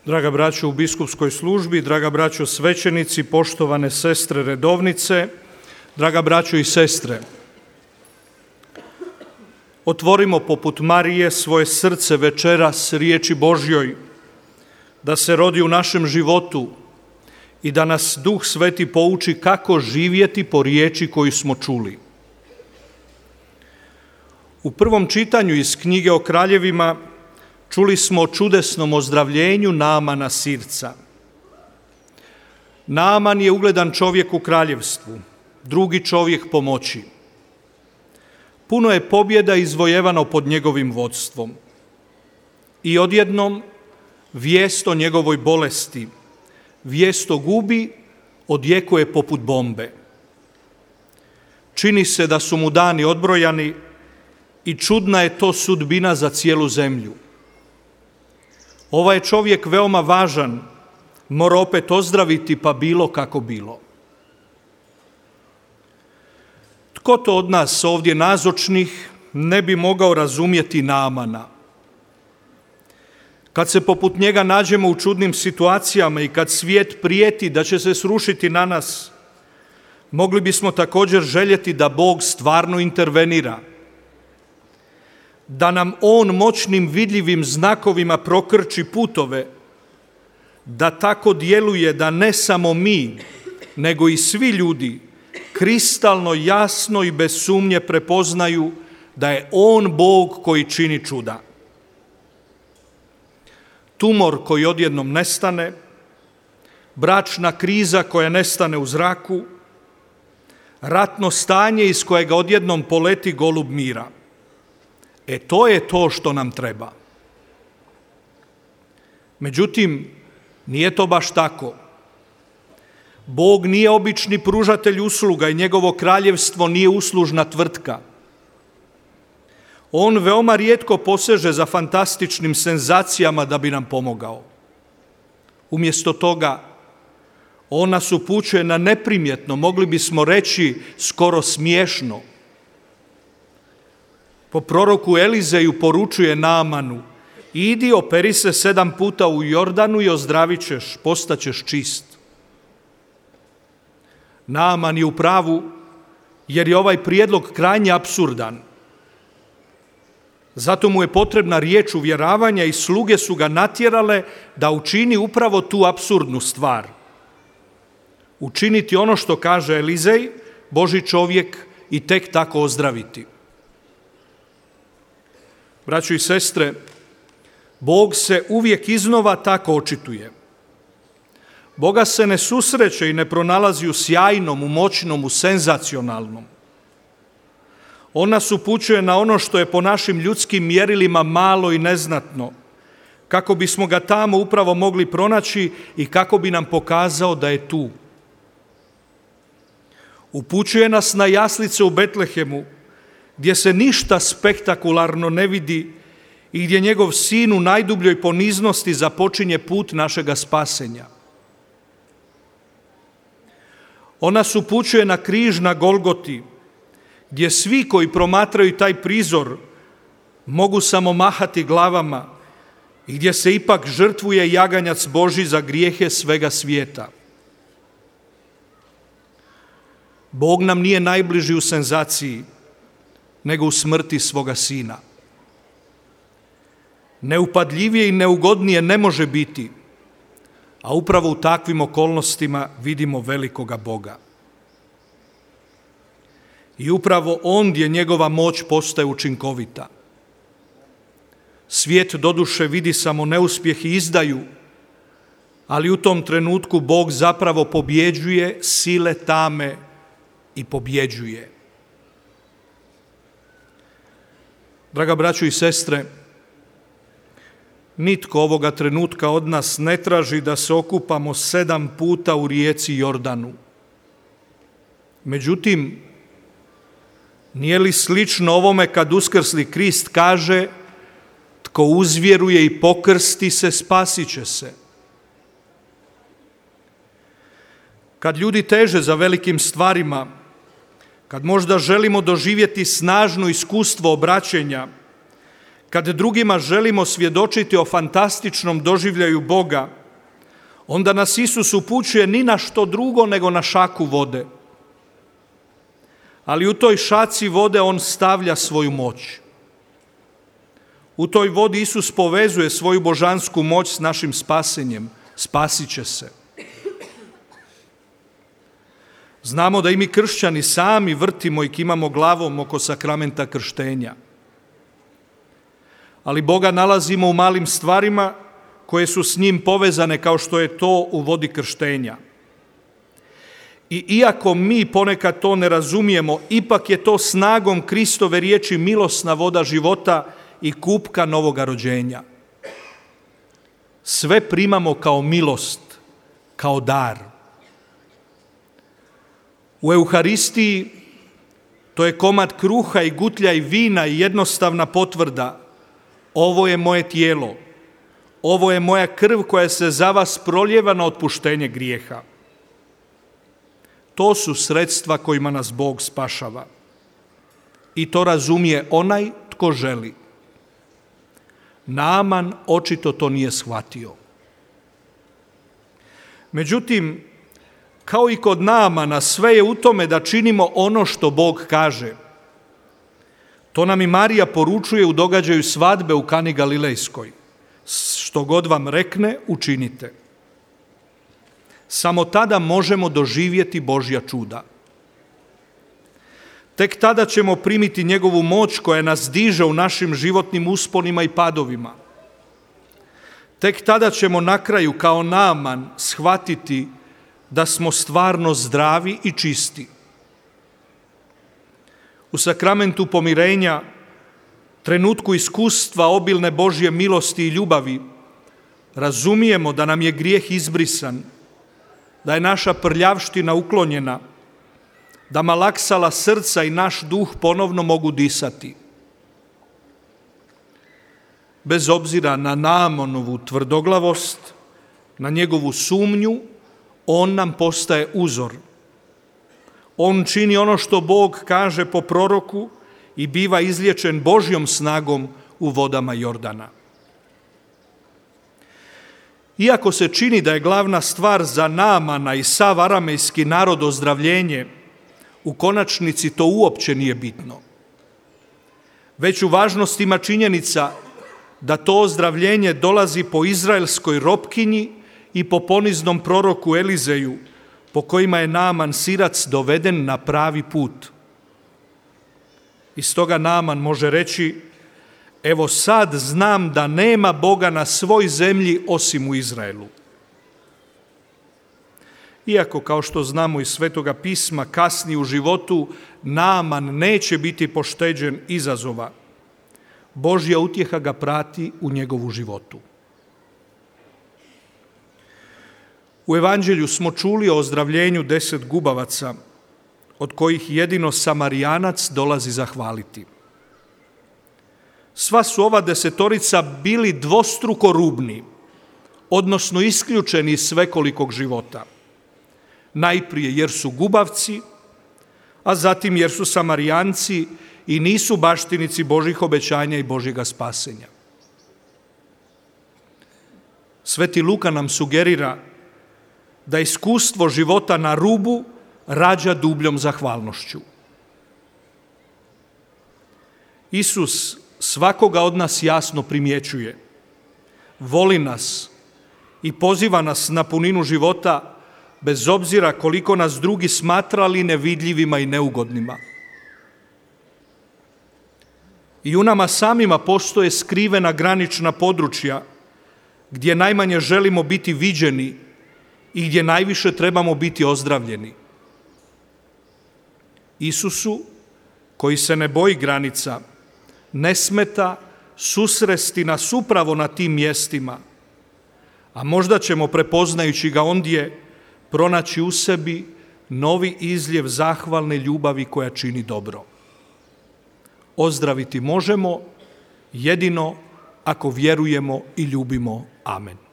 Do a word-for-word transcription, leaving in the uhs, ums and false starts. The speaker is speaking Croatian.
Draga braćo u biskupskoj službi, draga braćo svećenici, poštovane sestre redovnice, draga braćo i sestre, otvorimo poput Marije svoje srce večeras riječi Božjoj, da se rodi u našem životu i da nas Duh Sveti pouči kako živjeti po riječi koju smo čuli. U prvom čitanju iz knjige o kraljevima čuli smo o čudesnom ozdravljenju Naamana Sirca. Naaman je ugledan čovjek u kraljevstvu, drugi čovjek po moći. Puno je pobjeda izvojevano pod njegovim vodstvom. I odjednom vijest o njegovoj bolesti, vijest o gubi odjekuje poput bombe. Čini se da su mu dani odbrojani i čudna je to sudbina za cijelu zemlju. Ovaj je čovjek veoma važan, mora opet ozdraviti pa bilo kako bilo. Tko to od nas ovdje nazočnih ne bi mogao razumjeti Naamana? Kad se poput njega nađemo u čudnim situacijama i kad svijet prijeti da će se srušiti na nas, mogli bismo također željeti da Bog stvarno intervenira, da nam On moćnim vidljivim znakovima prokrči putove, da tako djeluje da ne samo mi, nego i svi ljudi kristalno jasno i bez sumnje prepoznaju da je On Bog koji čini čuda. Tumor koji odjednom nestane, bračna kriza koja nestane u zraku, ratno stanje iz kojega odjednom poleti golub mira. E to je to što nam treba. Međutim, nije to baš tako. Bog nije obični pružatelj usluga i njegovo kraljevstvo nije uslužna tvrtka. On veoma rijetko poseže za fantastičnim senzacijama da bi nam pomogao. Umjesto toga, on nas upućuje na neprimjetno, mogli bismo reći skoro smiješno. Po proroku Elizeju poručuje Naamanu: idi, operi se sedam puta u Jordanu i ozdravit ćeš, postaćeš čist. Naaman je u pravu jer je ovaj prijedlog krajnje apsurdan. Zato mu je potrebna riječ uvjeravanja i sluge su ga natjerale da učini upravo tu apsurdnu stvar. Učiniti ono što kaže Elizej, Božji čovjek, i tek tako ozdraviti. Braćo i sestre, Bog se uvijek iznova tako očituje. Boga se ne susreće i ne pronalazi u sjajnom, u moćnom, u senzacionalnom. On nas upućuje na ono što je po našim ljudskim mjerilima malo i neznatno, kako bismo ga tamo upravo mogli pronaći i kako bi nam pokazao da je tu. Upućuje nas na jaslice u Betlehemu, gdje se ništa spektakularno ne vidi i gdje njegov sin u najdubljoj poniznosti započinje put našega spasenja. On nas upućuje na križ na Golgoti, gdje svi koji promatraju taj prizor mogu samo mahati glavama i gdje se ipak žrtvuje jaganjac Božji za grijehe svega svijeta. Bog nam nije najbliži u senzaciji, nego u smrti svoga sina. Neupadljivije i neugodnije ne može biti, a upravo u takvim okolnostima vidimo velikoga Boga. I upravo ondje njegova moć postaje učinkovita. Svijet doduše vidi samo neuspjeh i izdaju, ali u tom trenutku Bog zapravo pobjeđuje sile tame i pobjeđuje. Draga braćo i sestre, nitko ovoga trenutka od nas ne traži da se okupamo sedam puta u rijeci Jordanu. Međutim, nije li slično ovome kad uskrsli Krist kaže: tko uzvjeruje i pokrsti se, spasit će se? Kad ljudi teže za velikim stvarima, kad možda želimo doživjeti snažno iskustvo obraćenja, kad drugima želimo svjedočiti o fantastičnom doživljaju Boga, onda nas Isus upućuje ni na što drugo nego na šaku vode. Ali u toj šaci vode on stavlja svoju moć. U toj vodi Isus povezuje svoju božansku moć s našim spasenjem. Spasit će se. Znamo da i mi kršćani sami vrtimo i kimamo glavom oko sakramenta krštenja. Ali Boga nalazimo u malim stvarima koje su s njim povezane kao što je to u vodi krštenja. I iako mi ponekad to ne razumijemo, ipak je to snagom Kristove riječi milosna voda života i kupka novoga rođenja. Sve primamo kao milost, kao dar. U Euharistiji to je komad kruha i gutlja i vina i jednostavna potvrda: ovo je moje tijelo, ovo je moja krv koja se za vas proljeva na otpuštenje grijeha. To su sredstva kojima nas Bog spašava. I to razumije onaj tko želi. Naaman očito to nije shvatio. Međutim, kao i kod Naamana, sve je u tome da činimo ono što Bog kaže. To nam i Marija poručuje u događaju svadbe u Kani Galilejskoj. Što god vam rekne, učinite. Samo tada možemo doživjeti Božja čuda. Tek tada ćemo primiti njegovu moć koja nas diže u našim životnim usponima i padovima. Tek tada ćemo na kraju kao Naaman shvatiti da smo stvarno zdravi i čisti. U sakramentu pomirenja, trenutku iskustva obilne Božje milosti i ljubavi, razumijemo da nam je grijeh izbrisan, da je naša prljavština uklonjena, da malaksala srca i naš duh ponovno mogu disati. Bez obzira na Naamanovu tvrdoglavost, na njegovu sumnju, on nam postaje uzor. On čini ono što Bog kaže po proroku i biva izliječen Božjom snagom u vodama Jordana. Iako se čini da je glavna stvar za Naamana i sav aramejski narod ozdravljenje, u konačnici to uopće nije bitno. Veću važnost ima činjenica da to ozdravljenje dolazi po izraelskoj ropkinji i po poniznom proroku Elizeju, po kojima je Naaman Sirac doveden na pravi put. I stoga Naaman može reći: evo sad znam da nema Boga na svoj zemlji osim u Izraelu. Iako, kao što znamo iz Svetoga pisma, kasnije u životu Naaman neće biti pošteđen izazova, Božja utjeha ga prati u njegovu životu. U Evanđelju smo čuli o ozdravljenju deset gubavaca, od kojih jedino Samarijanac dolazi zahvaliti. Sva su ova desetorica bili dvostruko rubni, odnosno isključeni iz svekolikog života. Najprije jer su gubavci, a zatim jer su Samarijanci i nisu baštinici Božjih obećanja i Božjega spasenja. Sveti Luka nam sugerira da iskustvo života na rubu rađa dubljom zahvalnošću. Isus svakoga od nas jasno primjećuje, voli nas i poziva nas na puninu života, bez obzira koliko nas drugi smatrali nevidljivima i neugodnima. I u nama samima postoje skrivena granična područja gdje najmanje želimo biti viđeni i gdje najviše trebamo biti ozdravljeni. Isusu, koji se ne boji granica, ne smeta susresti nas upravo na tim mjestima, a možda ćemo, prepoznajući ga ondje, pronaći u sebi novi izljev zahvalne ljubavi koja čini dobro. Ozdraviti možemo jedino ako vjerujemo i ljubimo. Amen.